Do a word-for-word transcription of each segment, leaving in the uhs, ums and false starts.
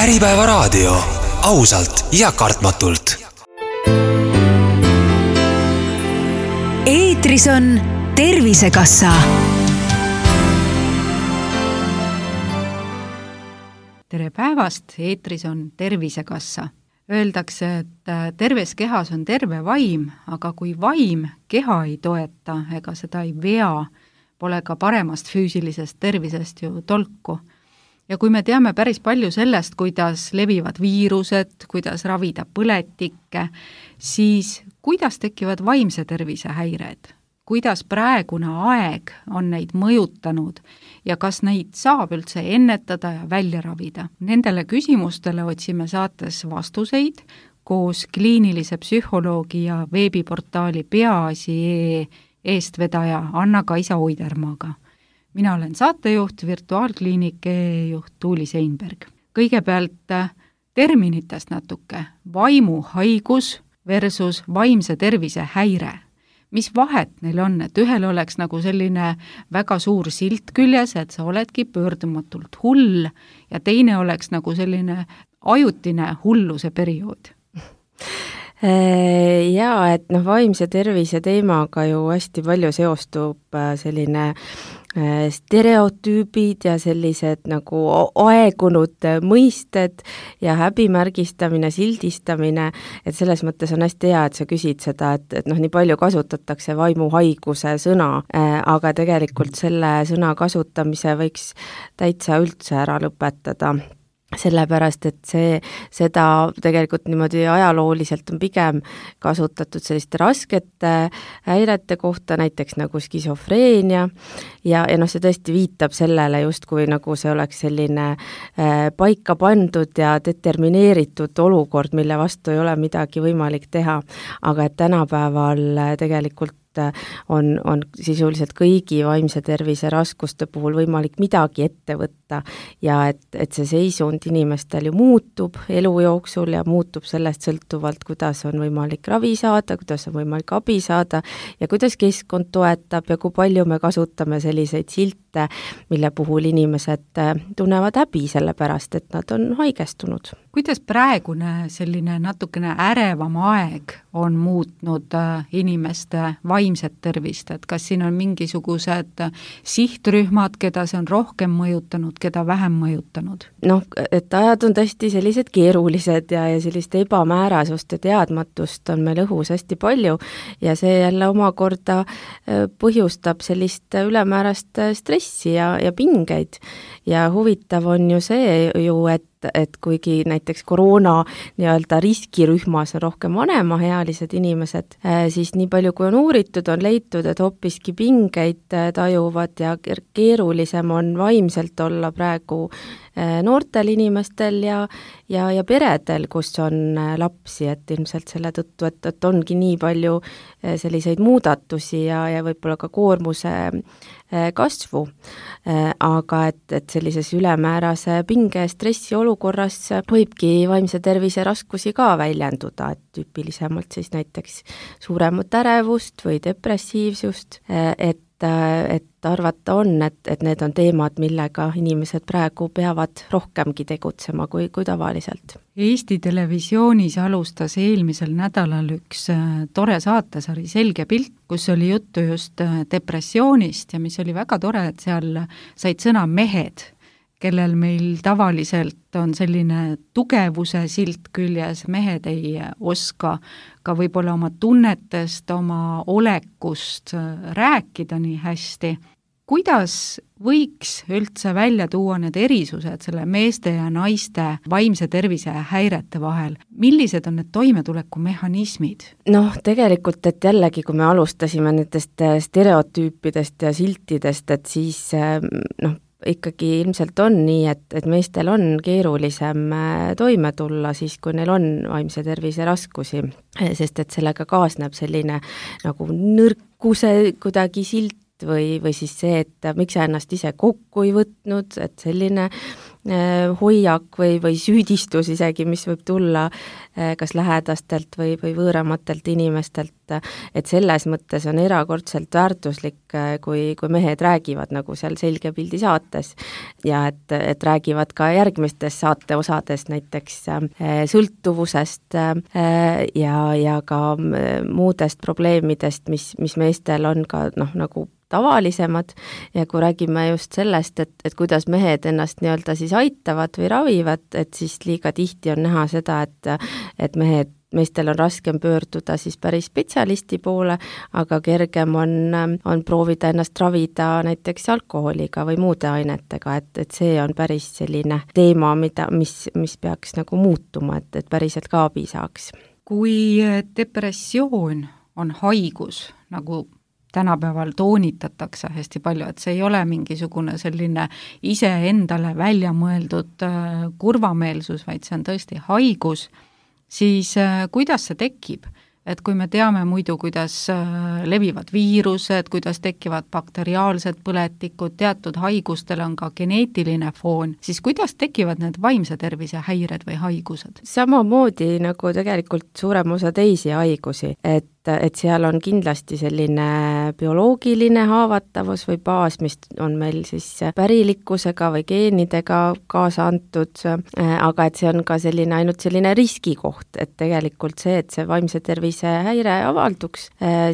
Äripäevaraadio, ausalt ja kartmatult. Eetris on Tervisekassa. Tere päevast, eetris on Tervisekassa. Öeldakse, et terves kehas on terve vaim, aga kui vaim keha ei toeta ega seda ei vea, pole ka paremast füüsilisest tervisest ju tolku. Ja kui me teame päris palju sellest, kuidas levivad viirused, kuidas ravida põletikke, siis kuidas tekivad vaimse tervise häired? Kuidas praegune aeg on neid mõjutanud ja kas neid saab üldse ennetada ja välja ravida? Nendele küsimustele otsime saates vastuseid koos kliinilise psühholoogi ja veebiportaali Peaasi eestvedaja Anna-Kaisa Oidermaaga. Mina olen saatejuht, virtuaalkliinik juht Tuuli Seinberg. Kõigepealt terminitest natuke. Vaimuhaigus versus vaimse tervise häire. Mis vahet neil on, et ühel oleks nagu selline väga suur silt küljes, et sa oledki pöördumatult hull ja teine oleks nagu selline ajutine hulluse periood? Jaa, et noh, vaimse tervise teemaga ju hästi palju seostub selline stereotüübid ja sellised nagu aegunud mõisted ja häbimärgistamine, sildistamine, et selles mõttes on hästi hea, et sa küsid seda, et, et noh, nii palju kasutatakse vaimuhaiguse sõna, aga tegelikult selle sõna kasutamise võiks täitsa üldse ära lõpetada. Sellepärast, et see, seda tegelikult niimoodi ajalooliselt on pigem kasutatud selliste raskete häirete kohta, näiteks nagu skisofreenia ja, ja noh, see tõesti viitab sellele justkui nagu see oleks selline äh, paika pandud ja determineeritud olukord, mille vastu ei ole midagi võimalik teha, aga et tänapäeval tegelikult on, on sisuliselt kõigi vaimse tervise raskuste puhul võimalik midagi ette võtta ja et, et see seisund inimestel ju muutub elu jooksul ja muutub sellest sõltuvalt, kuidas on võimalik ravi saada, kuidas on võimalik abi saada ja kuidas keskkond toetab ja kui palju me kasutame selliseid silte, mille puhul inimesed tunnevad häbi sellepärast, et nad on haigestunud. Kuidas praegune selline natukene ärevam aeg on muutnud inimeste vaimset tervist, et kas siin on mingisugused sihtrühmad, keda see on rohkem mõjutanud, keda vähem mõjutanud? Noh, et ajad on tõesti sellised keerulised ja, ja sellist ebamäärasust ja teadmatust on meil õhus hästi palju ja see jälle omakorda põhjustab sellist ülemäärast stressi ja, ja pingeid ja huvitav on ju see ju, et et kuigi näiteks koroona nii-öelda riskirühmas on rohkem vanemaealised inimesed, siis nii palju kui on uuritud, on leitud, et hoopiski pingeid tajuvad ja keerulisem on vaimselt olla praegu noortel inimestel ja, ja, ja peredel, kus on lapsi, et ilmselt selle tõttu, et, et ongi nii palju selliseid muudatusi ja, ja võib-olla ka koormuse kasvu, aga et, et sellises ülemäärase pinge stressi olukorras võibki vaimse tervise raskusi ka väljenduda, et tüüpilisemalt siis näiteks suuremat ärevust või depressiivsust, et et arvata on, et, et need on teemad, millega inimesed praegu peavad rohkemgi tegutsema kui, kui tavaliselt. Eesti Televisioonis alustas eelmisel nädalal üks tore saatesari Selge pilt, kus oli juttu just depressioonist ja mis oli väga tore, et seal said sõna mehed, kellel meil tavaliselt on selline tugevuse silt küljes, mehed ei oska ka võib-olla oma tunnetest, oma olekust rääkida nii hästi. Kuidas võiks üldse välja tuua need erisused selle meeste ja naiste vaimse tervise häirete vahel? Millised on need toimetulekumehhanismid? Noh, tegelikult, et jällegi, kui me alustasime nendest stereotüüpidest ja siltidest, et siis noh, ikkagi ilmselt on nii, et, et meestel on keerulisem toime tulla siis, kui neil on vaimse tervise raskusi, sest et sellega kaasneb selline nagu nõrkuse kuidagi silt või, või siis see, et miks sa ennast ise kokku ei võtnud, et selline hoiak või, või süüdistus isegi, mis võib tulla kas lähedastelt või, või võõramatelt inimestelt, et selles mõttes on erakordselt väärtuslik, kui, kui mehed räägivad nagu seal Selge pildi saates ja et, et räägivad ka järgmistes saate osades näiteks sõltuvusest ja, ja ka muudest probleemidest, mis, mis meestel on ka noh, nagu tavalisemad ja kui räägime just sellest, et, et kuidas mehed ennast nii-öelda siis aitavad või ravivad, et siis liiga tihti on näha seda, et, et mehed, meestel on raskem pöörduda siis päris spetsialisti poole, aga kergem on, on proovida ennast ravida näiteks alkoholiga või muude ainetega, et, et see on päris selline teema, mida, mis, mis peaks nagu muutuma, et, et päriselt ka abi saaks. Kui depressioon on haigus, nagu tänapäeval toonitatakse hästi palju, et see ei ole mingisugune selline iseendale välja mõeldud kurvameelsus, vaid see on tõesti haigus, siis kuidas see tekib? Et kui me teame muidu, kuidas levivad viirused, kuidas tekivad bakteriaalsed põletikud, teatud haigustel on ka geneetiline foon, siis kuidas tekivad need vaimse tervise häired või haigused? Samamoodi nagu tegelikult suurem osa teisi haigusi, et et seal on kindlasti selline bioloogiline haavatavus või baas, mis on meil siis pärilikkusega või geenidega kaasa antud, aga et see on ka selline ainult selline riskikoht, et tegelikult see, et see vaimse tervise häire avalduks,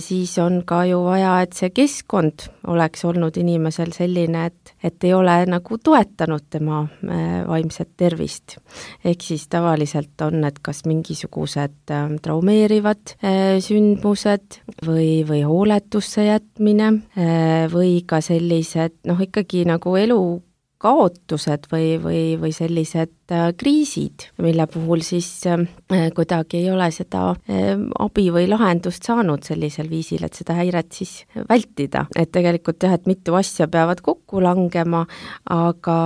siis on ka ju vaja, et see keskkond oleks olnud inimesel selline, et, et ei ole nagu toetanud tema vaimset tervist. Ehk siis tavaliselt on, et kas mingisugused traumeerivad sünd või, või hooletusse jätmine või ka sellised, noh ikkagi nagu elu kaotused või, või, või sellised kriisid, mille puhul siis kuidagi ei ole seda abi või lahendust saanud sellisel viisil, et seda häiret siis vältida. Et tegelikult jah, et mitu asja peavad kokku langema, aga,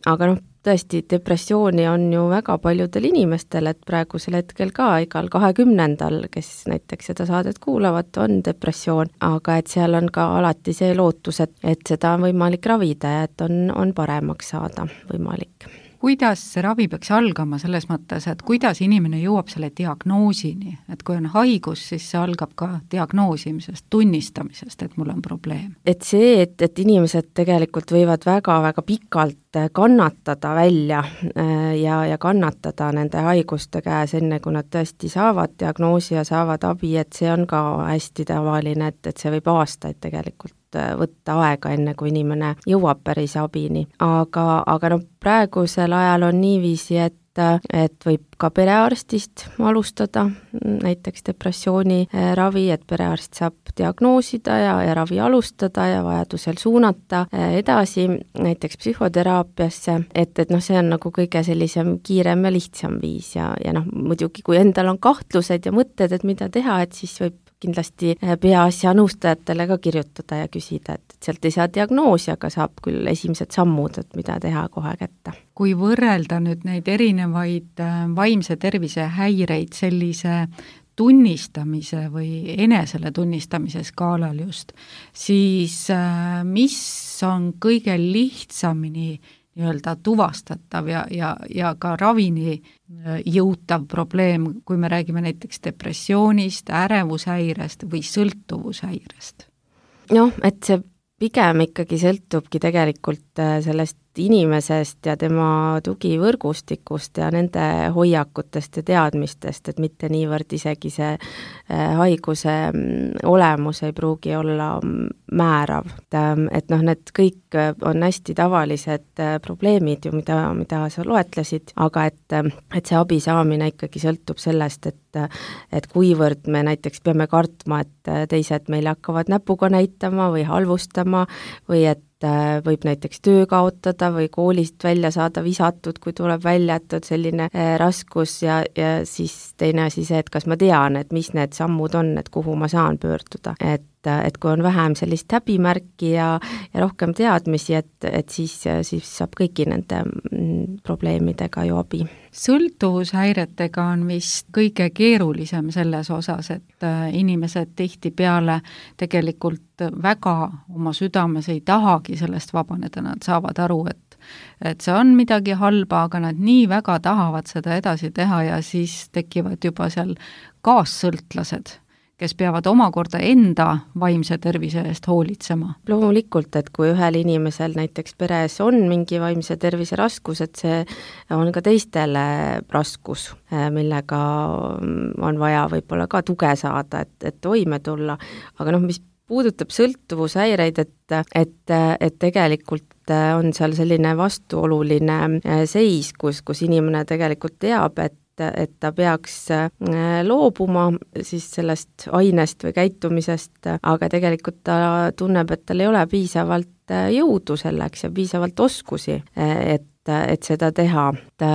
aga noh, tõesti, depressiooni on ju väga paljudel inimestel, et praegusel hetkel ka igal kahekümnendal, kes näiteks seda saadet kuulavad, on depressioon, aga et seal on ka alati see lootus, et, et seda on võimalik ravida ja et on, on paremaks saada võimalik. Kuidas see ravi peaks algama selles mõttes, et kuidas inimene jõuab selle diagnoosini, et kui on haigus, siis see algab ka diagnoosimisest, tunnistamisest, et mul on probleem? Et see, et, et inimesed tegelikult võivad väga-väga pikalt kannatada välja ja, ja kannatada nende haiguste käes, enne kui nad tõesti saavad diagnoosi ja saavad abi, et see on ka hästi tavaline, et, et see võib aastaid tegelikult võtta aega, enne kui inimene jõuab päris abini. Aga, aga no praegusel ajal on niiviisi, et et võib ka perearstist alustada näiteks depressiooni ravi, et perearst saab diagnoosida ja, ja ravi alustada ja vajadusel suunata edasi näiteks psühhoteraapiasse, et, et noh, see on nagu kõige sellisem kiirem ja lihtsam viis ja, ja noh, muidugi kui endal on kahtlused ja mõtted, et mida teha, et siis võib kindlasti peaasja nõustajatele ka kirjutada ja küsida, et sealt ei saa diagnoosi, aga saab küll esimesed sammud, et mida teha kohe kätte. Kui võrrelda nüüd neid erinevaid vaimse tervise häireid sellise tunnistamise või enesele tunnistamise skaalal just, siis mis on kõige lihtsamini nii-öelda tuvastatav ja, ja, ja ka ravini jõutav probleem, kui me räägime näiteks depressioonist, ärevushäirest või sõltuvushäirest? Noh, et see pigem ikkagi sõltubki tegelikult sellest inimesest ja tema tugivõrgustikust ja nende hoiakutest ja teadmistest, et mitte niivõrd isegi see haiguse olemus ei pruugi olla määrav. Et noh, need kõik on hästi tavalised probleemid ju, mida, mida sa loetlesid, aga et, et see abi saamine ikkagi sõltub sellest, et et kuivõrd me näiteks peame kartma, et teised meile hakkavad näpuga näitama või halvustama või et võib näiteks töö kaotada või koolist välja saada visatud, kui tuleb välja, et on selline raskus ja, ja siis teine asi see, et kas ma tean, et mis need sammud on, et kuhu ma saan pöörduda. Et, et kui on vähem sellist häbimärki ja, ja rohkem teadmisi, et, et siis, siis saab kõigi nende probleemidega ju abi. Sõltuvushäiretega on vist kõige keerulisem selles osas, et inimesed tihtipeale tegelikult väga oma südames ei tahagi sellest vabaneda, nad saavad aru, et et see on midagi halba, aga nad nii väga tahavad seda edasi teha ja siis tekivad juba seal kaassõltlased, kes peavad omakorda enda vaimse tervise eest hoolitsema. Loomulikult, et kui ühel inimesel näiteks peres on mingi vaimse tervise raskus, et see on ka teistele raskus, millega on vaja võib-olla ka tuge saada, et, et toime tulla. Aga noh, mis puudutab sõltuvushäireid, et, et, et tegelikult on seal selline vastuoluline seis, kus, kus inimene tegelikult teab, et et ta peaks loobuma siis sellest ainest või käitumisest, aga tegelikult ta tunneb, et tal ei ole piisavalt jõudu selleks ja piisavalt oskusi, et, et seda teha. Et,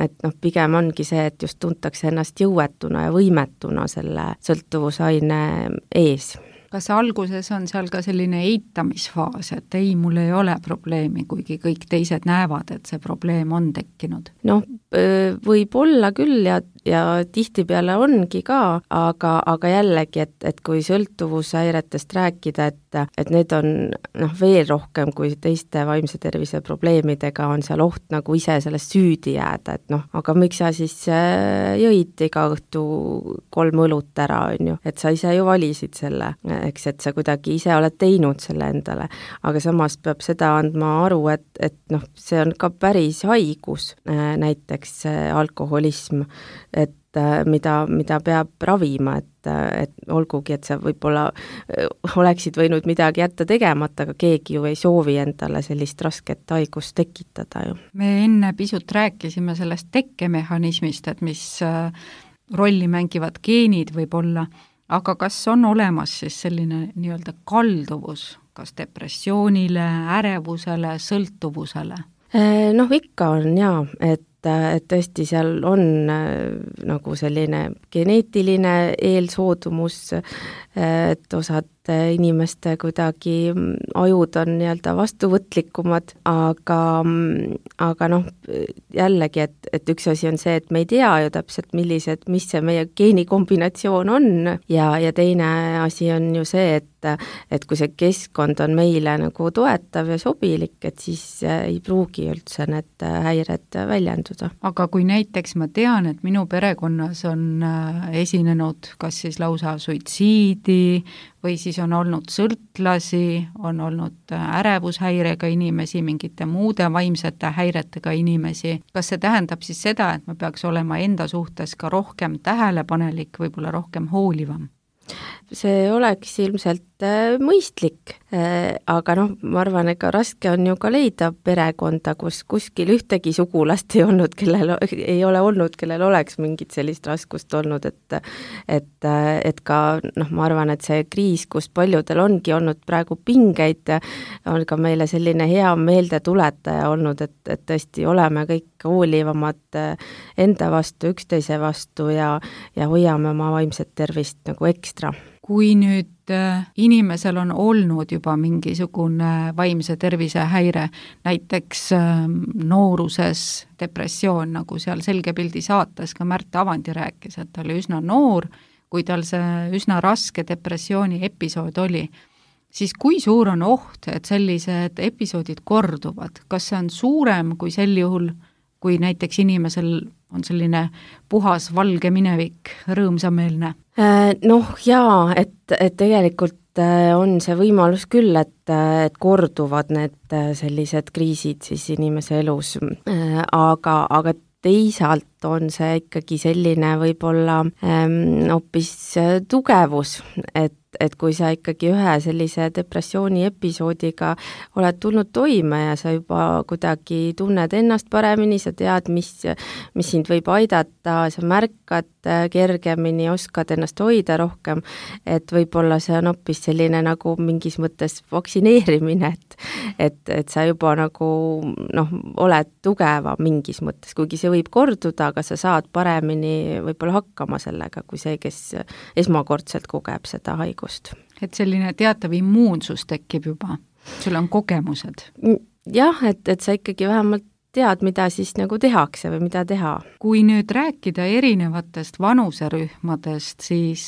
et noh, pigem ongi see, et just tuntakse ennast jõuetuna ja võimetuna selle sõltuvusaine ees. Kas alguses on seal ka selline eitamisfaas, et ei, mul ei ole probleemi, kuigi kõik teised näevad, et see probleem on tekkinud? Noh, võib olla küll ja, ja tihtipeale ongi ka, aga, aga jällegi, et, et kui sõltuvushäiretest rääkida, et, et need on noh, veel rohkem kui teiste vaimse tervise probleemidega on seal oht nagu ise sellest süüdi jääda, et noh, aga miks sa siis jõid iga õhtu kolm õlut ära, on ju, et sa ise ju valisid selle, eks, et sa kuidagi ise oled teinud selle endale, aga samas peab seda andma aru, et, et noh, see on ka päris haigus, näiteks alkoholism, et mida, mida peab ravima, et, et olgugi, et sa võib-olla oleksid võinud midagi jätta tegemata, aga keegi ju ei soovi endale sellist rasket haigust tekitada ju. Me enne pisut rääkisime sellest tekkemehhanismist, et mis rolli mängivad geenid võib-olla, aga kas on olemas siis selline nii-öelda kalduvus, kas depressioonile, ärevusele, sõltuvusele? Noh, ikka on jaa, et et tõesti seal on nagu selline geneetiline eelsoodumus, et osad inimeste kuidagi ajud on nii-öelda vastuvõtlikumad, aga, aga noh, jällegi, et, et üks asi on see, et me ei tea ju täpselt, millised, mis see meie geenikombinatsioon on ja, ja teine asi on ju see, et et kui see keskkond on meile nagu toetav ja sobilik, et siis ei pruugi üldse need häired väljenduda. Aga kui näiteks ma tean, et minu perekonnas on esinenud kas siis lausa suitsiidi või siis on olnud sõltlasi, on olnud ärevushäirega inimesi, mingite muude vaimsete häiretega inimesi. Kas see tähendab siis seda, et ma peaks olema enda suhtes ka rohkem tähelepanelik, võib-olla rohkem hoolivam? See oleks ilmselt mõistlik, aga noh, ma arvan, ega raske on ju ka leida perekonda, kus kuskil ühtegi sugulast ei olnud, kellel ei ole olnud, kellel oleks mingit sellist raskust olnud, et et, et ka noh, ma arvan, et see kriis, kus paljudel ongi olnud praegu pingeid, on ka meile selline hea meeldetuletaja olnud, et, et tõesti oleme kõik hoolivamad enda vastu, üksteise vastu ja, ja hoiame oma vaimset tervist nagu ekstra. Kui nüüd inimesel on olnud juba mingisugune vaimse tervise häire, näiteks nooruses depressioon, nagu seal Selge pildi saates ka Märt Avandi rääkis, et ta oli üsna noor, kui tal see üsna raske depressiooni episood oli, siis kui suur on oht, et sellised episoodid korduvad? Kas see on suurem kui sel juhul, kui näiteks inimesel on selline puhas valge minevik, rõõmsameelne? Noh jaa, et, et tegelikult on see võimalus küll, et, et korduvad need sellised kriisid siis inimese elus, aga, aga teisalt on see ikkagi selline võib-olla ähm, hoopis tugevus, et et kui sa ikkagi ühe sellise depressiooni episoodiga oled tulnud toime ja sa juba kuidagi tunned ennast paremini, sa tead, mis, mis sind võib aidata, sa märkad kergemini, oskad ennast hoida rohkem, et võib-olla see on hoopis selline nagu mingis mõttes vaktsineerimine, et, et, et sa juba nagu noh, oled tugeva mingis mõttes, kuigi see võib korduda, aga sa saad paremini võib-olla hakkama sellega, kui see, kes esmakordselt kogeb seda haigust. Et selline teatav immuunsus tekib juba, sul on kogemused? Jah, et, et sa ikkagi vähemalt tead, mida siis nagu tehakse või mida teha. Kui nüüd rääkida erinevatest vanuserühmadest, siis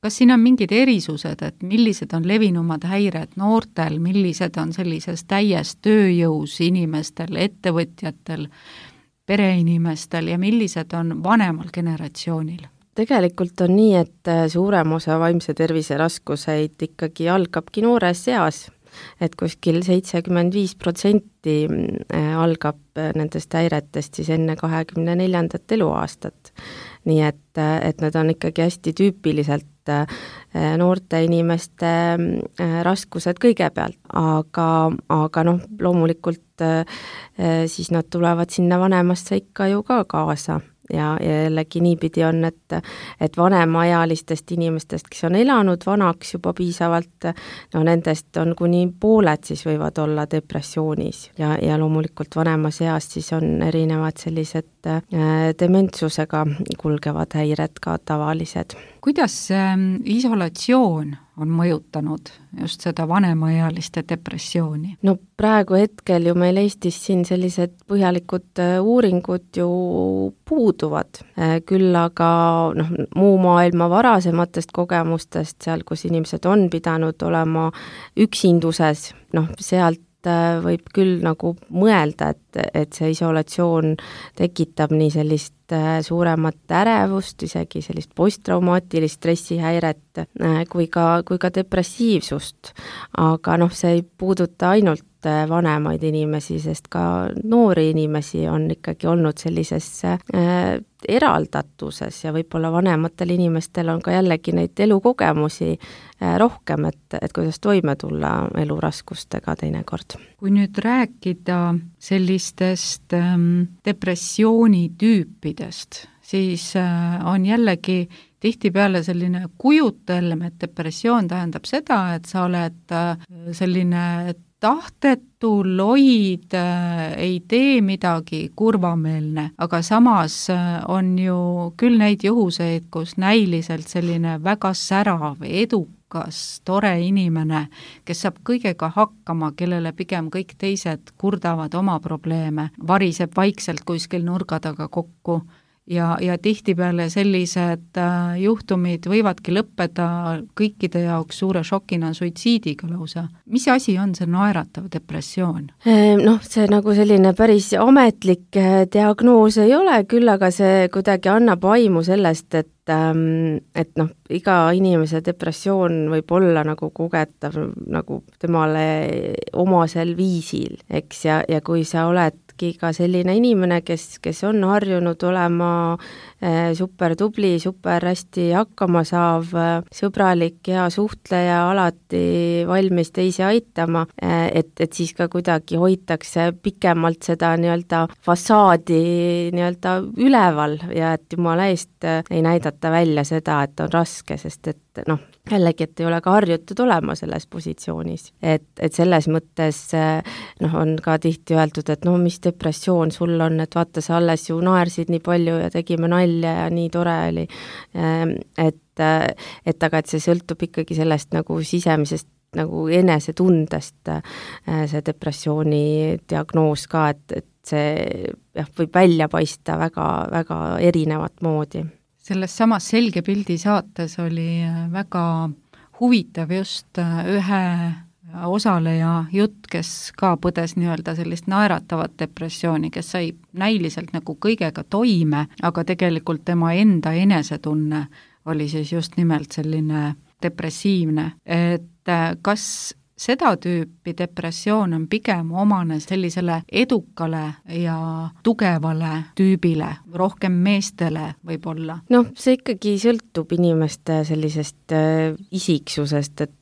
kas siin on mingid erisused, et millised on levinumad häired noortel, millised on sellises täies tööjõus inimestel, ettevõtjatel, pereinimestel ja millised on vanemal generatsioonil? Tegelikult on nii, et suurem osa vaimse tervise raskuseid ikkagi algabki noores eas, et kuskil seitsekümmend viis protsenti algab nendest häiretest siis enne kahekümne neljandat eluaastat. Nii et, et need on ikkagi hästi tüüpiliselt noorte inimeste raskused kõigepealt, aga, aga noh, loomulikult siis nad tulevad sinna vanemasse ikka ju ka kaasa. Ja, ja jällegi niipidi on, et, et vanemaealistest inimestest, kes on elanud vanaks juba piisavalt, no nendest on kuni pooled siis võivad olla depressioonis ja, ja loomulikult vanemas eas siis on erinevad sellised äh, dementsusega kulgevad häired ka tavalised. Kuidas äh, isolatsioon on mõjutanud just seda vanemaealiste depressiooni? No praegu hetkel ju meil Eestis siin sellised põhjalikud uuringud ju puuduvad, küll aga noh, muu maailma varasematest kogemustest, seal kus inimesed on pidanud olema üksinduses, noh sealt võib küll nagu mõelda, et, et see isolatsioon tekitab nii sellist suuremat ärevust, isegi sellist posttraumaatilist stressihäiret kui ka, kui ka depressiivsust. Aga noh, see ei puuduta ainult vanemaid inimesi, sest ka noori inimesi on ikkagi olnud sellises äh, eraldatuses ja võib-olla vanematel inimestel on ka jällegi neid elukogemusi äh, rohkem, et, et kuidas toime tulla eluraskustega teinekord. Kui nüüd rääkida sellistest ähm, depressioonitüüpidest, siis äh, on jällegi tihtipeale selline kujutelm, et depressioon tähendab seda, et sa oled äh, selline tahtetu, loid, ei tee midagi, kurvameelne, aga samas on ju küll neid juhuseid, kus näiliselt selline väga särav, edukas, tore inimene, kes saab kõigega hakkama, kellele pigem kõik teised kurdavad oma probleeme, variseb vaikselt kuskil nurga taga kokku. Ja, ja tihtipeale sellised äh, juhtumid võivadki lõppeda kõikide jaoks suure šokina suitsiidiga lausa. Mis asi on see naeratav depressioon? Noh, see nagu selline päris ametlik diagnoos ei ole, küll aga see kuidagi annab aimu sellest, et et noh, iga inimese depressioon võib olla nagu kogetav nagu temale omasel viisil, eks, ja, ja kui sa oledki ka selline inimene, kes, kes on harjunud olema eh, super tubli, super hästi hakkama saav, sõbralik, hea suhtleja, alati valmis teisi aitama, eh, et, et siis ka kuidagi hoitakse pikemalt seda nii-öelda fassaadi nii-öelda üleval ja et jumala eest ei näidata välja seda, et on raske, sest et noh, jällegi, et ei ole ka harjutud olema selles positsioonis. Et, et selles mõttes noh, on ka tihti öeldud, et no mis depressioon sul on, et vaata, sa alles ju naersid nii palju ja tegime nalja ja nii tore oli. Et, et aga et see sõltub ikkagi sellest nagu sisemisest nagu enesetundest see depressiooni diagnoos ka, et, et see jah, võib välja paista väga, väga erinevat moodi. Selles samas Selge pildi saates oli väga huvitav just ühe osaleja jutt, kes ka põdes nii-öelda sellist naeratavat depressiooni, kes sai näiliselt nagu kõigega toime, aga tegelikult tema enda enesetunne oli siis just nimelt selline depressiivne. Et kas seda tüüpi depressioon on pigem omane sellisele edukale ja tugevale tüübile, rohkem meestele võib-olla? Noh, see ikkagi sõltub inimeste sellisest äh, isiksusest, et,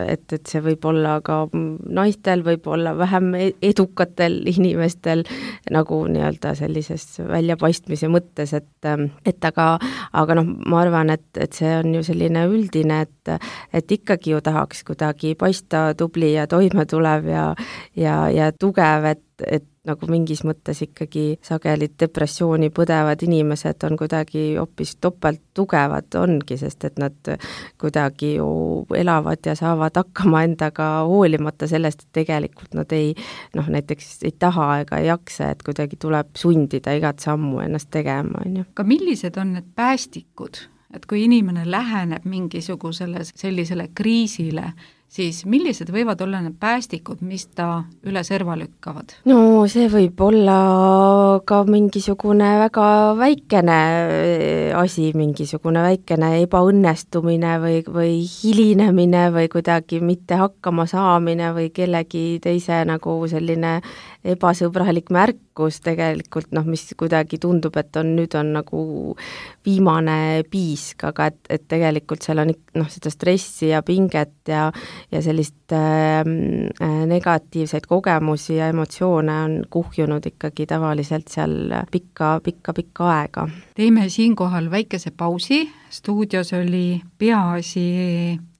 et, et see võib olla ka naistel, võib olla vähem edukatel inimestel nagu nii-öelda sellises väljapaistmise mõttes, et, et aga, aga noh, ma arvan, et, et see on ju selline üldine, et, et ikkagi ju tahaks kuidagi paista tubli ja toime tulev ja, ja, ja tugev, et, et nagu mingis mõttes ikkagi sageli depressiooni põdevad inimesed on kuidagi hoopis topelt tugevad ongi, sest et nad kuidagi ju elavad ja saavad hakkama endaga hoolimata sellest, et tegelikult nad ei, noh näiteks ei taha ega ei jaksa, et kuidagi tuleb sundida igat sammu ennast tegema, on ju. Aga millised on need päästikud et kui inimene läheneb mingisugusele sellisele kriisile, siis millised võivad olla need päästikud, mis ta üle serva lükkavad? No see võib olla ka mingisugune väga väikene asi, mingisugune väikene ebaõnnestumine või, või hilinemine või kuidagi mitte hakkama saamine või kellegi teise nagu selline ebasõbralik märkus tegelikult, noh, mis kuidagi tundub, et on, nüüd on nagu viimane piisk, aga et, et tegelikult seal on noh, seda stressi ja pinget ja ja sellist äh, negatiivseid kogemusi ja emotsioone on kuhjunud ikkagi tavaliselt seal pikka, pikka, pikka aega. Teeme siinkohal väikese pausi. Stuudios oli Peaasi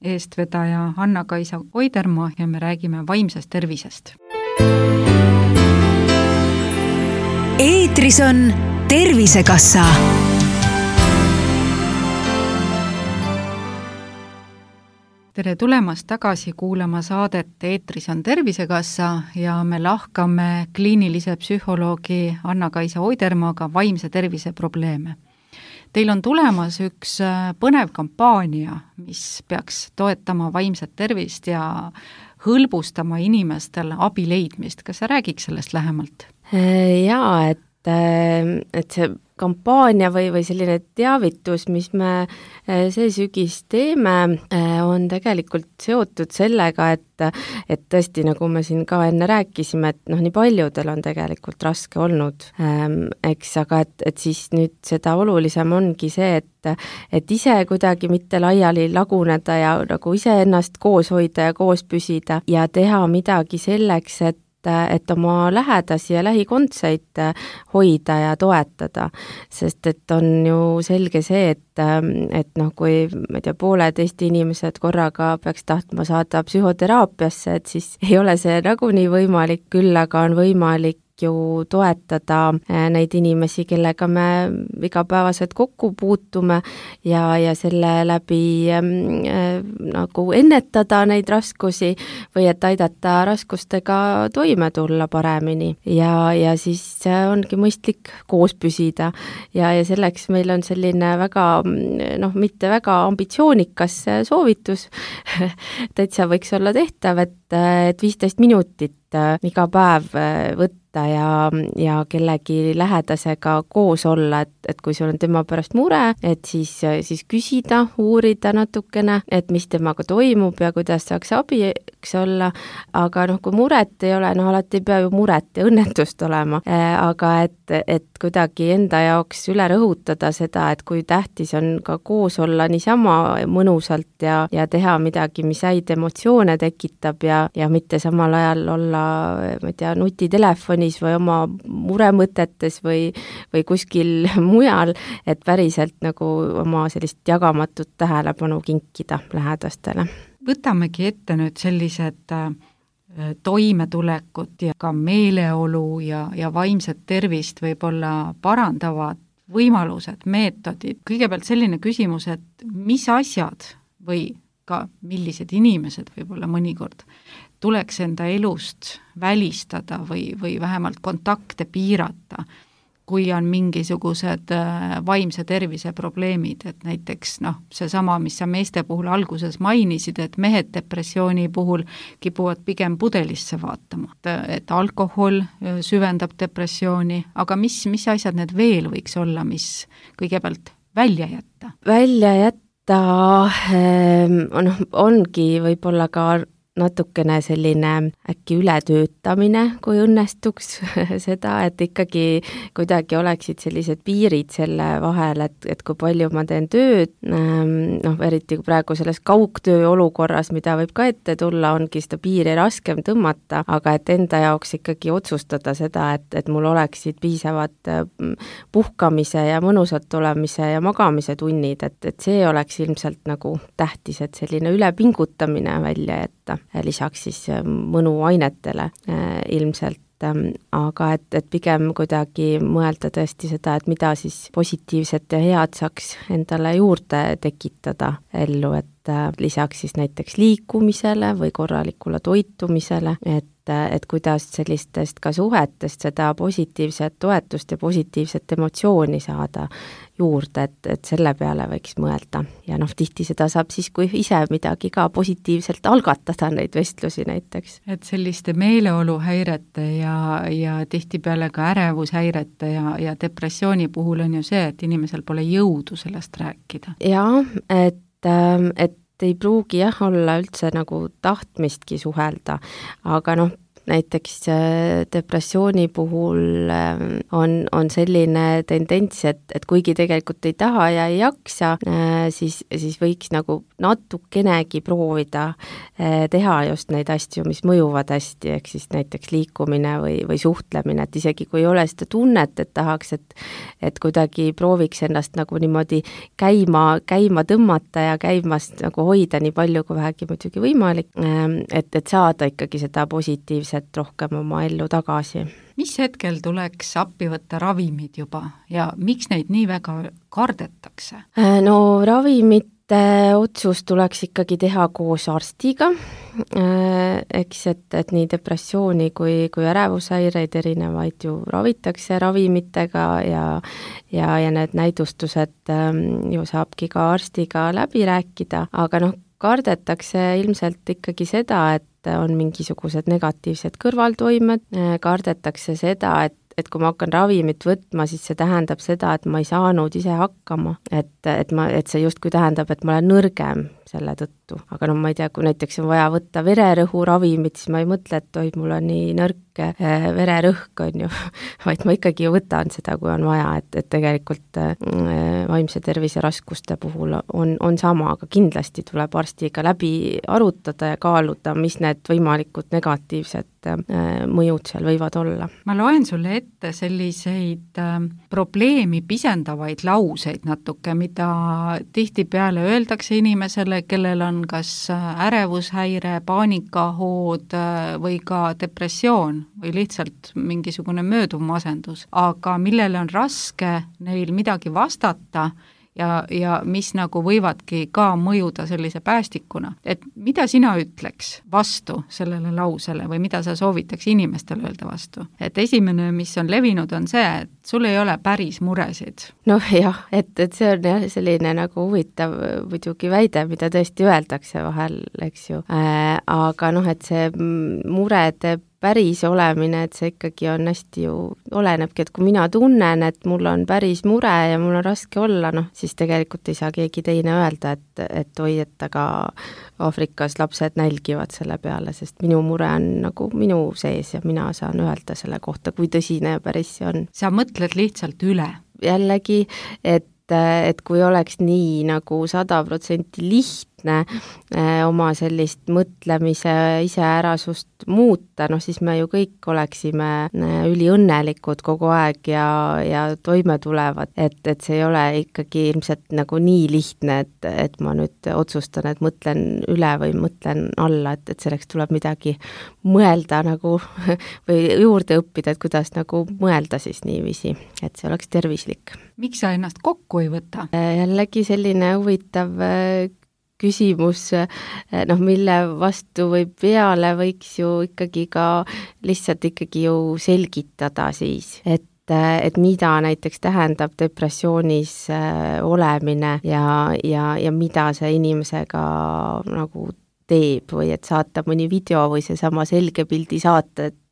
eestvedaja Anna-Kaisa Oidermaa ja me räägime vaimsest tervisest. Eetris on Tervisekassa. Tere tulemast tagasi kuulama saadet Eetris on Tervisekassa ja me lahkame kliinilise psühholoogi Anna-Kaisa Oidermaaga vaimse tervise probleeme. Teil on tulemas üks põnev kampaania, mis peaks toetama vaimset tervist ja hõlbustama inimestel abi leidmist. Kas sa räägiks sellest lähemalt? Jaa, et, et see kampaania või, või selline teavitus, mis me see sügis teeme, on tegelikult seotud sellega, et, et tõesti, nagu me siin ka enne rääkisime, et noh, nii paljudel on tegelikult raske olnud, eks, aga et, et siis nüüd seda olulisem ongi see, et, et ise kuidagi mitte laiali laguneda ja nagu ise ennast koos hoida ja koos püsida ja teha midagi selleks, et et oma lähedasi ja lähikondseid hoida ja toetada, sest et on ju selge see, et, et noh, kui ma ei tea, pooled Eesti inimesed korraga peaks tahtma saada psühhoteraapiasse, et siis ei ole see nagunii võimalik, küll aga on võimalik ju toetada neid inimesi, kellega me igapäevaselt kokku puutume ja, ja selle läbi äh, nagu ennetada neid raskusi või et aidata raskustega toime tulla paremini ja, ja siis ongi mõistlik koos püsida ja, ja selleks meil on selline väga, noh, mitte väga ambitsioonikas soovitus, täitsa võiks olla tehtav, et, et viisteist minutit iga päev võtta ja, ja kellegi lähedasega koos olla, et, et kui sul on tema pärast mure, et siis, siis küsida, uurida natukene, et mis temaga toimub ja kuidas saaks abiks olla, aga noh, kui muret ei ole, noh, alati ei pea ju muret ja õnnetust olema, aga et, et kuidagi enda jaoks üle rõhutada seda, et kui tähtis on ka koos olla niisama mõnusalt ja, ja teha midagi, mis häid emotsioone tekitab ja, ja mitte samal ajal olla ma ei tea, nutitelefonis või oma muremõtetes või, või kuskil mujal, et päriselt nagu oma sellist jagamatut tähelepanu kinkida lähedastele. Võtamegi ette nüüd sellised toimetulekut ja ka meeleolu ja, ja vaimset tervist võib-olla parandavad võimalused, meetodid. Kõigepealt selline küsimus, et mis asjad või ka millised inimesed võib-olla mõnikord tuleks enda elust välistada või, või vähemalt kontakte piirata, kui on mingisugused vaimse tervise probleemid, et näiteks noh, seesama, mis sa meeste puhul alguses mainisid, et mehed depressiooni puhul kipuvad pigem pudelisse vaatama, et alkohol süvendab depressiooni, aga mis, mis asjad need veel võiks olla, mis kõigepealt välja jätta? Välja jätta noh, ongi võib-olla ka natukene selline äkki ületöötamine, kui õnnestuks seda, et ikkagi kuidagi oleksid sellised piirid selle vahel, et, et kui palju ma teen tööd, noh, eriti praegu selles kaugtöö olukorras, mida võib ka ette tulla, ongi seda piiri raskem tõmmata, aga et enda jaoks ikkagi otsustada seda, et, et mul oleksid piisavad puhkamise ja mõnusalt olemise ja magamise tunnid, et, et see oleks ilmselt nagu tähtis, et selline ülepingutamine välja jätta. Lisaks siis mõnuainetele äh, ilmselt, ähm, aga et, et pigem kuidagi mõelda tõesti seda, et mida siis positiivset ja head saaks endale juurde tekitada ellu, et, lisaks siis näiteks liikumisele või korralikule toitumisele, et et kuidas sellistest ka suhetest seda positiivset toetust ja positiivset emotsiooni saada juurde, et, et selle peale võiks mõelda. Ja noh, tihti seda saab siis, kui ise midagi ka positiivselt algatada, neid vestlusi näiteks. Et selliste meeleoluhäirete ja, ja tihtipeale ka ärevushäirete ja, ja depressiooni puhul on ju see, et inimesel pole jõudu sellest rääkida. Jaa, et, et ei pruugi jah olla üldse nagu tahtmistki suhelda, aga noh, näiteks depressiooni puhul on, on selline tendents, et, et kuigi tegelikult ei taha ja ei jaksa, siis, siis võiks nagu natukenegi proovida teha just neid asju, mis mõjuvad hästi, ehk siis näiteks liikumine või, või suhtlemine, et isegi kui ei ole seda tunnet, et tahaks, et, et kuidagi prooviks ennast nagu niimoodi käima, käima tõmmata ja käimast nagu hoida nii palju, kui vähegi muidugi võimalik, et, et saada ikkagi seda positiivset rohkem oma ellu tagasi. Mis hetkel tuleks appi võtta ravimid juba ja miks neid nii väga kardetakse? No ravimite otsus tuleks ikkagi teha koos arstiga, eks, et, et nii depressiooni kui, kui ärevushäireid erinevaid ju ravitakse ravimitega ja, ja, ja need näidustused ju saabki ka arstiga läbi rääkida, aga noh, kardetakse ilmselt ikkagi seda, et on mingisugused negatiivsed kõrvaltoimed, kardetakse seda, et, et kui ma hakkan ravimit võtma, siis see tähendab seda, et ma ei saanud ise hakkama, et, et, ma, et see justkui tähendab, et ma olen nõrgem selle tõttu. Aga no ma ei tea, kui näiteks on vaja võtta vererõhu ravimit, siis ma ei mõtle, et oi, mul on nii nõrk vererõhk, on ju, vaid ma ikkagi ju võtan seda, kui on vaja, et, et tegelikult vaimse tervise raskuste puhul on, on sama, aga kindlasti tuleb arstiga läbi arutada ja kaaluda, mis need võimalikud negatiivsed mõjud seal võivad olla. Ma loen sulle ette selliseid probleemi pisendavaid lauseid natuke, mida tihtipeale öeldakse inimesele, kellel on kas ärevushäire, paanikahood või ka depressioon või lihtsalt mingisugune mööduv masendus, aga millele on raske neil midagi vastata ja, ja mis nagu võivadki ka mõjuda sellise päästikuna. Et mida sina ütleks vastu sellele lausele või mida sa soovitaks inimestele öelda vastu? Et esimene, mis on levinud, on see, et sul ei ole päris muresid. Noh jah, et, et see on jah selline nagu huvitav muidugi väide, mida tõesti öeldakse vahel, eks ju. Äh, aga noh, et see murede päris olemine, et see ikkagi on hästi ju, olenebki, et kui mina tunnen, et mul on päris mure ja mul on raske olla, noh, siis tegelikult ei saa keegi teine öelda, et, et oi, et aga Aafrikas lapsed nälgivad selle peale, sest minu mure on nagu minu sees ja mina saan öelda selle kohta, kui tõsine ja päris see on. Sa mõtled lihtsalt üle? Jällegi, et et kui oleks nii nagu sada protsenti lihtne oma sellist mõtlemise iseärasust muuta, noh siis me ju kõik oleksime üliõnnelikud kogu aeg ja, ja toime tulevad, et, et see ei ole ikkagi ilmselt nagu nii lihtne, et, et ma nüüd otsustan, et mõtlen üle või mõtlen alla, et, et selleks tuleb midagi mõelda nagu või juurde õppida, et kuidas nagu mõelda siis niiviisi, et see oleks tervislik. Miks sa ennast kokku ei võta? Jällegi selline huvitav küsimus, noh, mille vastu või peale võiks ju ikkagi ka lihtsalt ikkagi ju selgitada siis, et et mida näiteks tähendab depressioonis olemine ja, ja, ja mida see inimesega nagu teeb või et saata mõni video või seesama selge pildi saata, et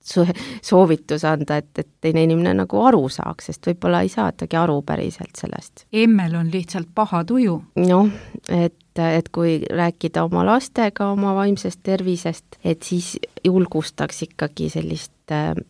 soovitus anda, et, et teine inimene nagu aru saaks, sest võib-olla ei saatagi aru päriselt sellest. Emmel on lihtsalt paha tuju. Noh, et, et kui rääkida oma lastega oma vaimsest tervisest, et siis julgustaks ikkagi sellist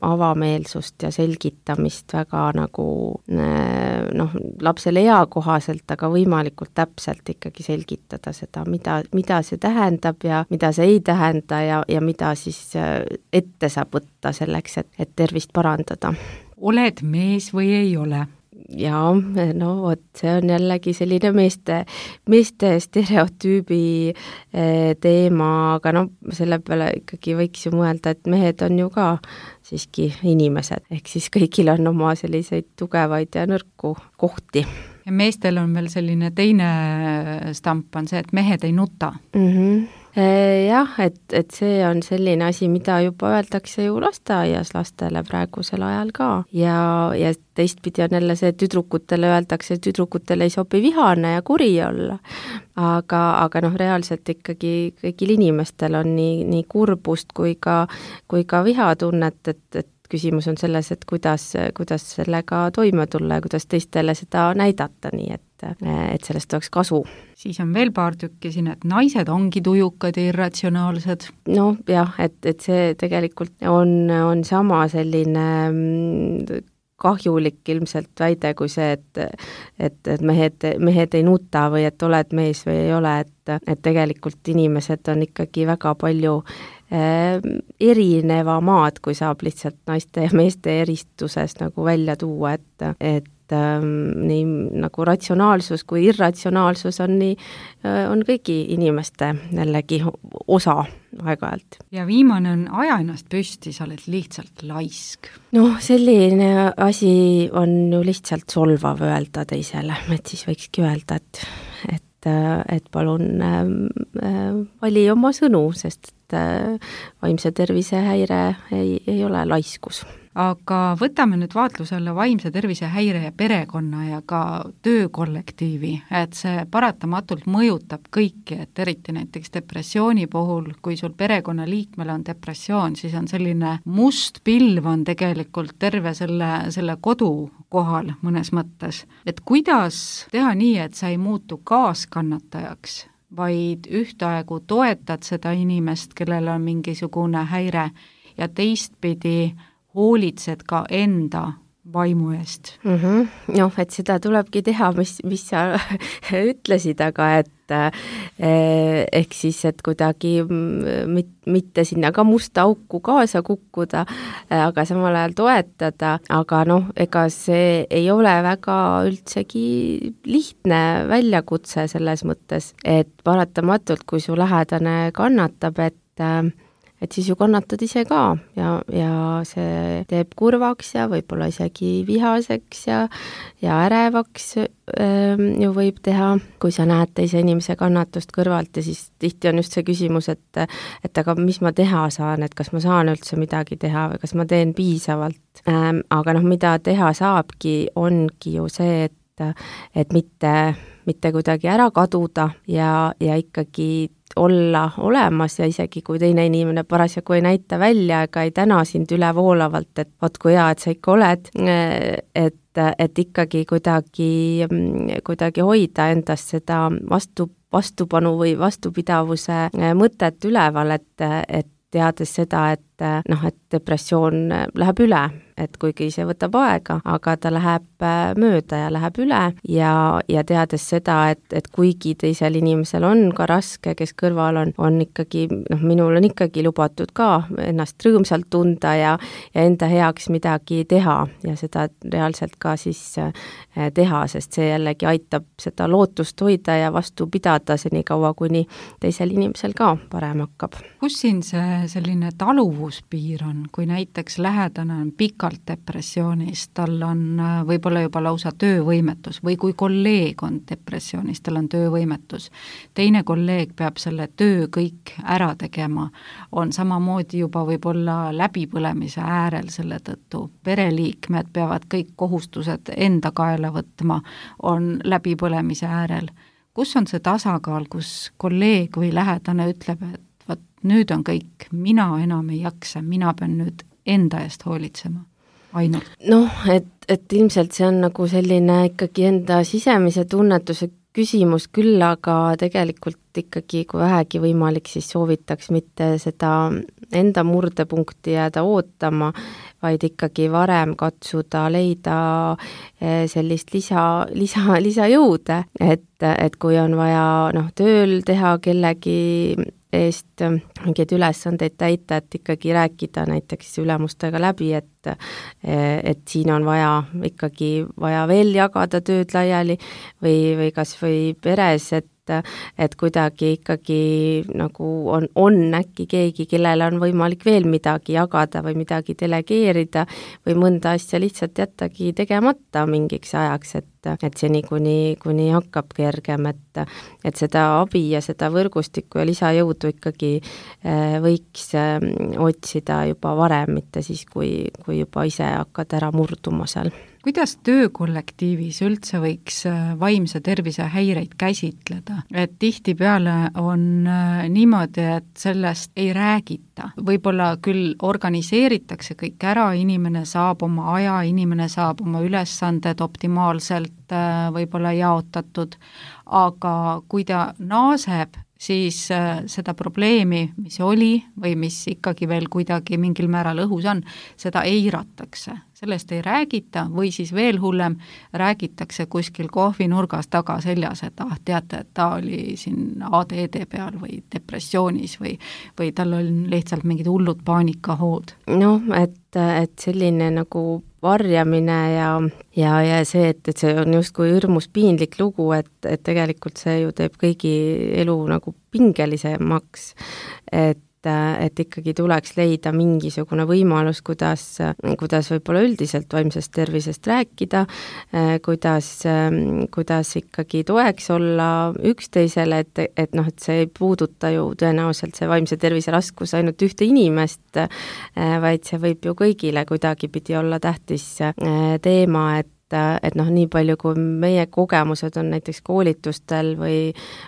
avameelsust ja selgitamist väga nagu noh, lapsele eakohaselt, aga võimalikult täpselt ikkagi selgitada seda, mida, mida see tähendab ja mida see ei tähenda ja, ja mida siis ette saab võtta selleks, et, et tervist parandada. Oled mees või ei ole? Jaa, no vot, see on jällegi selline meeste, meeste stereotüübi teema, aga no selle peale ikkagi võiks ju mõelda, et mehed on ju ka siiski inimesed, ehk siis kõigil on oma selliseid tugevaid ja nõrku kohti. ja meestel on veel selline teine stamp on see, et mehed ei nuta. Mm-hmm. Jah, et, et see on selline asi, mida juba öeldakse ju lasteaias lastele praegusel ajal ka ja, ja teistpidi on jälle see, et tüdrukutele öeldakse, et tüdrukutele ei sobi vihane ja kuri olla. Aga, aga noh, reaalselt ikkagi kõigil inimestel on nii, nii kurbust kui ka, kui ka vihatunnet, et, et küsimus on selles, et kuidas, kuidas sellega toime tulla ja kuidas teistele seda näidata, nii et, et sellest oleks kasu. Siis on veel paar tükki siin, et naised ongi tujukad ja irratsionaalsed. Noh, jah, et, et see tegelikult on, on sama selline kahjulik ilmselt väide kui see, et, et, et mehed, mehed ei nuta või et oled mees või ei ole, et, et tegelikult inimesed on ikkagi väga palju äh, erineva maad, kui saab lihtsalt naiste ja meeste eristuses nagu välja tuua, et, et nii nagu ratsionaalsus kui irratsionaalsus on nii, on kõigi inimeste jällegi osa aeg-ajalt. Ja viimane on aja ennast püsti, sa oled lihtsalt laisk. Noh, selline asi on ju lihtsalt solvav öelda teisele, et siis võikski öelda, et, et, et palun äh, vali oma sõnu, sest et äh, vaimse tervise häire ei, ei ole laiskus. Aga võtame nüüd vaatluse alla vaimse tervise häire ja perekonna ja ka töökollektiivi, et see paratamatult mõjutab kõiki, et eriti näiteks depressiooni puhul, kui sul perekonnaliikmel on depressioon, siis on selline must pilv on tegelikult terve selle, selle kodu kohal mõnes mõttes. Et kuidas teha nii, et sa ei muutu kaaskannatajaks, vaid ühtaegu toetad seda inimest, kellel on mingisugune häire ja teistpidi hoolitsed ka enda vaimu eest. Mm-hmm. Noh, et seda tulebki teha, mis, mis sa ütlesid, aga et eh, ehk siis, et kuidagi mit, mitte sinna ka musta auku kaasa kukkuda, aga samal ajal toetada, aga noh, ega see ei ole väga üldsegi lihtne väljakutse selles mõttes, et paratamatult, kui su lähedane kannatab, et et siis ju kannatad ise ka ja, ja see teeb kurvaks ja võib-olla isegi vihaseks ja, ja ärevaks ähm, ju võib teha, kui sa näed teise inimese kannatust kõrvalt ja siis tihti on just see küsimus, et, et aga mis ma teha saan, et kas ma saan üldse midagi teha või kas ma teen piisavalt. Ähm, aga noh, mida teha saabki, ongi ju see, et, et mitte, mitte kuidagi ära kaduda ja, ja ikkagi olla olemas ja isegi kui teine inimene parasjagu ei näita välja ega ei täna sind ülevoolavalt, et vot kui hea, et sa ikka oled, et, et ikkagi kuidagi, kuidagi hoida endast seda vastu, vastupanu või vastupidavuse mõtet üleval, et, et teades seda, et noh, et depressioon läheb üle, et kuigi see võtab aega, aga ta läheb mööda ja läheb üle ja, ja teades seda, et, et kuigi teisel inimesel on ka raske, kes kõrval on, on ikkagi, noh, minul on ikkagi lubatud ka ennast rõõmsalt tunda ja, ja enda heaks midagi teha ja seda reaalselt ka siis teha, sest see jällegi aitab seda lootust hoida ja vastu pidada seni kaua, kuni teisel inimesel ka parem hakkab. Kus siin see selline taluvuspiir on, kui näiteks lähedane on pikalt depressioonis, tal on võib-olla juba lausa töövõimetus või kui kolleeg on depressioonis, tal on töövõimetus, teine kolleeg peab selle töö kõik ära tegema, on samamoodi juba võib-olla läbipõlemise äärel selle tõttu, pereliikmed peavad kõik kohustused enda kaela võtma, on läbipõlemise äärel. Kus on see tasakaal, kus kolleeg või lähedane ütleb, et vaat nüüd on kõik, mina enam ei jaksa, mina pean nüüd enda eest hoolitsema ainult? Noh, et, et ilmselt see on nagu selline ikkagi enda sisemise tunnetuse küsimus küll, aga tegelikult ikkagi, kui vähegi võimalik, siis soovitaks mitte seda enda murdepunkti jääda ootama, vaid ikkagi varem katsuda leida sellist lisa, lisa, lisajõude, et, et kui on vaja noh, tööl teha kellegi eest mingeid ülesandeid täita, et ikkagi rääkida näiteks ülemustega läbi, et et siin on vaja ikkagi vaja veel jagada tööd laiali või, või kas või peres, et, et kuidagi ikkagi nagu on, on äkki keegi, kellele on võimalik veel midagi jagada või midagi delegeerida või mõnda asja lihtsalt jättagi tegemata mingiks ajaks, et et seni, kuni, kuni hakkab kergem, et, et seda abi ja seda võrgustikku ja lisajõudu ikkagi võiks otsida juba varem, mitte siis, kui, kui juba ise hakkad ära murduma seal. Kuidas töökollektiivis üldse võiks vaimse tervise häireid käsitleda? Et tihtipeale on niimoodi, et sellest ei räägita. Võib-olla küll organiseeritakse kõik ära, inimene saab oma aja, inimene saab oma ülesanded optimaalselt võib-olla jaotatud, aga kui ta naaseb, siis seda probleemi, mis oli või mis ikkagi veel kuidagi mingil määral õhus on, seda eiratakse. Sellest ei räägita või siis veel hullem, räägitakse kuskil kohvinurgas taga seljas, et ah, teate, et ta oli siin A D D peal või depressioonis või, või tal on lihtsalt mingid hullud paanikahood. Noh, et, et selline nagu varjamine ja, ja, ja see, et, et see on justkui hirmus piinlik lugu, et, et tegelikult see ju teeb kõigi elu nagu pingelisemaks, et et ikkagi tuleks leida mingisugune võimalus, kuidas, kuidas võib-olla üldiselt vaimsest tervisest rääkida, kuidas, kuidas ikkagi toeks olla üksteisele, et, et noh, et see ei puuduta ju tõenäoliselt see vaimse tervise raskus ainult ühte inimest, vaid see võib ju kõigile kuidagipidi olla tähtis teema, et et noh, nii palju kui meie kogemused on näiteks koolitustel või,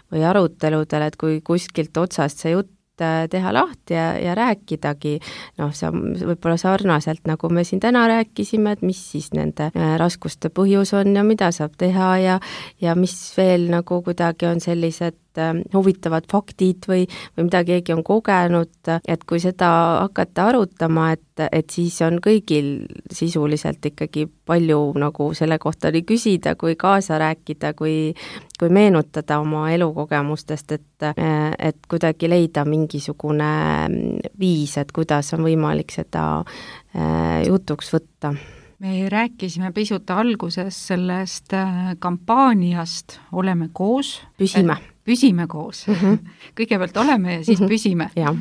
või aruteludel, et kui kuskilt otsast see jutt teha lahti ja, ja rääkidagi, noh, see võib-olla sarnaselt, nagu me siin täna rääkisime, et mis siis nende raskuste põhjus on ja mida saab teha ja, ja mis veel nagu kuidagi on sellised huvitavad faktid või, või mida keegi on kogenud, et kui seda hakata arutama, et, et siis on kõigil sisuliselt ikkagi palju nagu selle kohta oli küsida, kui kaasa rääkida, kui, kui meenutada oma elukogemustest, et, et kuidagi leida mingisugune viis, et kuidas on võimalik seda jutuks võtta. Me rääkisime pisut alguses sellest kampaaniast Oleme koos. Püsime. Püsime koos. Mm-hmm. Kõigepealt oleme ja siis mm-hmm. püsime. Ja.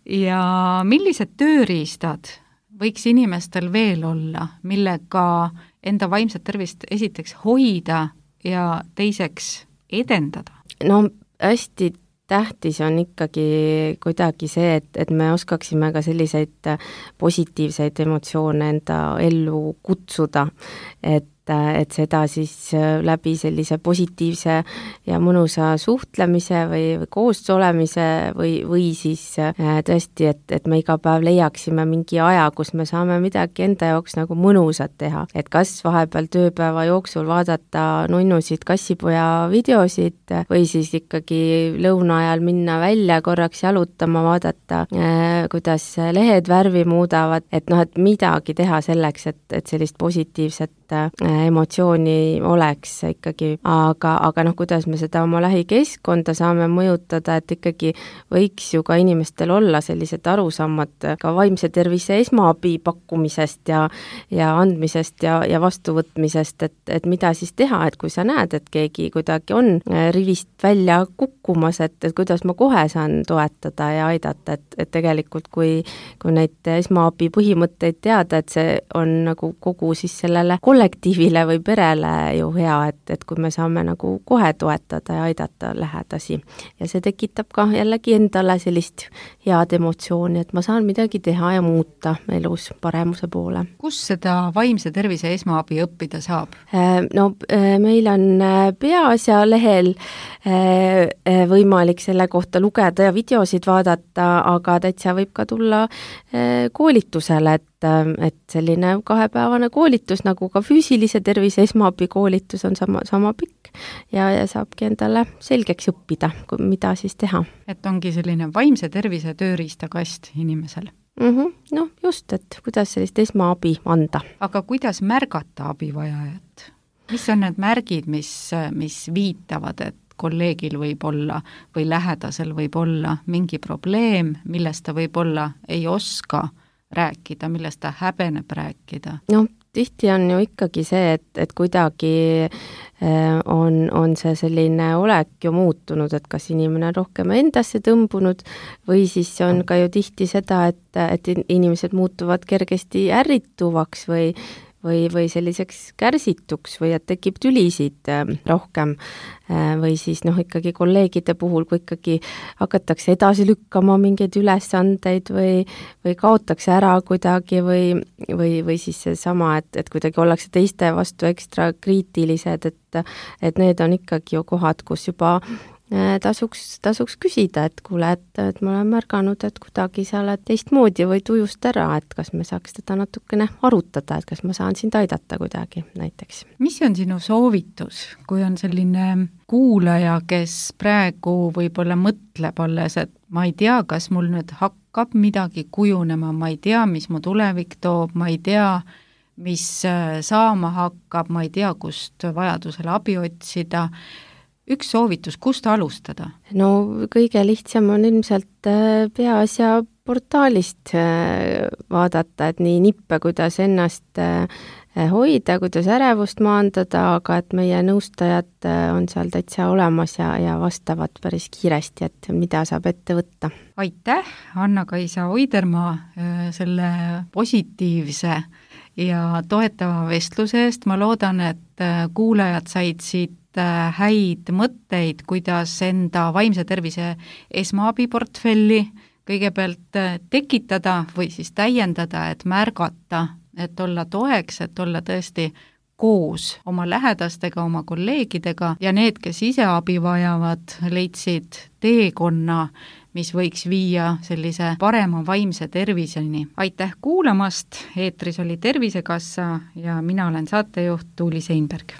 ja millised tööriistad võiks inimestel veel olla, millega enda vaimset tervist esiteks hoida ja teiseks edendada? No hästi tähtis on ikkagi kuidagi see, et, et me oskaksime ka selliseid positiivseid emotsioone enda ellu kutsuda, et et seda siis läbi sellise positiivse ja mõnusa suhtlemise või, või koos olemise või, või siis tõesti, et, et me iga päev leiaksime mingi aja, kus me saame midagi enda jaoks nagu mõnusat teha. Et kas vahepeal tööpäeva jooksul vaadata nunnusid kassipoja videosid või siis ikkagi lõuna ajal minna välja korraks jalutama, vaadata, kuidas lehed värvi muudavad, et noh, et midagi teha selleks, et, et sellist positiivset emotsiooni oleks ikkagi, aga, aga noh, kuidas me seda oma lähikeskkonda saame mõjutada, et ikkagi võiks ju ka inimestel olla sellised arusammad ka vaimse tervise esmaabi pakkumisest ja, ja andmisest ja, ja vastuvõtmisest, et, et mida siis teha, et kui sa näed, et keegi kuidagi on rivist välja kukkumas, et, et kuidas ma kohe saan toetada ja aidata, et, et tegelikult kui, kui neid esmaabi põhimõtteid teada, et see on nagu kogu siis sellele kollektiivile või perele ju hea, et, et kui me saame nagu kohe toetada ja aidata lähedasi. Ja see tekitab ka jällegi endale sellist head emotsiooni, et ma saan midagi teha ja muuta elus paremuse poole. Kus seda vaimse tervise esmaabi õppida saab? No meil on Peaasja lehel võimalik selle kohta lugeda ja videosid vaadata, aga täitsa võib ka tulla koolitusele, et et selline kahepäevane koolitus, nagu ka füüsilise tervise esmaabi koolitus on sama, sama pikk ja, ja saabki endale selgeks õppida, mida siis teha. Et ongi selline vaimse tervise tööriistakast inimesel? Mm-hmm. No just, et kuidas sellist esmaabi anda. Aga kuidas märgata abivajajat? Mis on need märgid, mis, mis viitavad, et kolleegil võib olla või lähedasel võib olla mingi probleem, millest ta võib olla ei oska rääkida, millest ta häbeneb rääkida? No tihti on ju ikkagi see, et, et kuidagi on, on see selline olek ju muutunud, et kas inimene on rohkem endasse tõmbunud või siis on ka ju tihti seda, et, et inimesed muutuvad kergesti ärrituvaks või või, või selliseks kärsituks või et tekib tülisid rohkem või siis noh, ikkagi kolleegide puhul, kui ikkagi hakatakse edasi lükkama mingeid ülesandeid või, või kaotakse ära kuidagi või, või, või siis seesama, et, et kuidagi ollakse teiste vastu ekstra kriitilised, et, et need on ikkagi ju kohad, kus juba tasuks, tasuks küsida, et kuule, et, et ma olen märganud, et kuidagi sa oled teistmoodi või tujust ära, et kas me saaks teda natukene arutada, et kas ma saan sind aidata kuidagi näiteks. Mis on sinu soovitus, kui on selline kuulaja, kes praegu võib-olla mõtleb alles, et ma ei tea, kas mul nüüd hakkab midagi kujunema, ma ei tea, mis mu tulevik toob, ma ei tea, mis saama hakkab, ma ei tea, kust vajadusel abi otsida. Üks soovitus, kust alustada? No kõige lihtsam on ilmselt Peaasja portaalist vaadata, et nii nippe, kuidas ennast hoida, kuidas ärevust maandada, aga et meie nõustajad on seal täitsa olemas ja, ja vastavad päris kiiresti, et mida saab ette võtta. Aitäh, Anna-Kaisa Oidermaa, selle positiivse ja toetava vestluse eest. Ma loodan, et kuulajad said siit häid mõtteid, kuidas enda vaimse tervise esmaabiportfelli kõigepealt tekitada või siis täiendada, et märgata, et olla toeks, et olla tõesti koos oma lähedastega, oma kolleegidega ja need, kes ise abi vajavad, leidsid teekonna, mis võiks viia sellise parema vaimse terviseni. Aitäh kuulamast, eetris oli Tervisekassa ja mina olen saatejuht Tuuli Seinberg.